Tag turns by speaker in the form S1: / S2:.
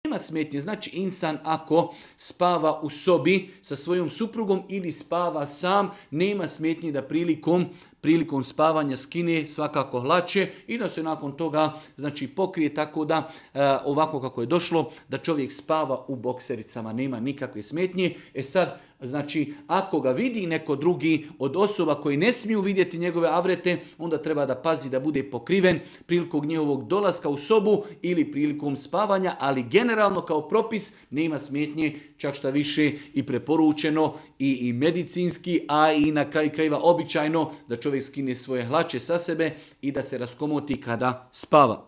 S1: Nema smetnje, znači insan ako spava u sobi sa svojom suprugom ili spava sam, nema smetnje da prilikom spavanja skine svakako hlače i da se nakon toga znači pokrije, tako da ovako kako je došlo da čovjek spava u boksericama, nema nikakve smetnje. Sad, znači ako ga vidi neko drugi od osoba koji ne smiju vidjeti njegove avrete, onda treba da pazi da bude pokriven prilikom njihovog dolaska u sobu ili prilikom spavanja, ali generalno kao propis nema smetnje, čak šta više i preporučeno i medicinski, a i na kraju krajeva običajno da čovjek skine svoje hlače sa sebe i da se raskomoti kada spava.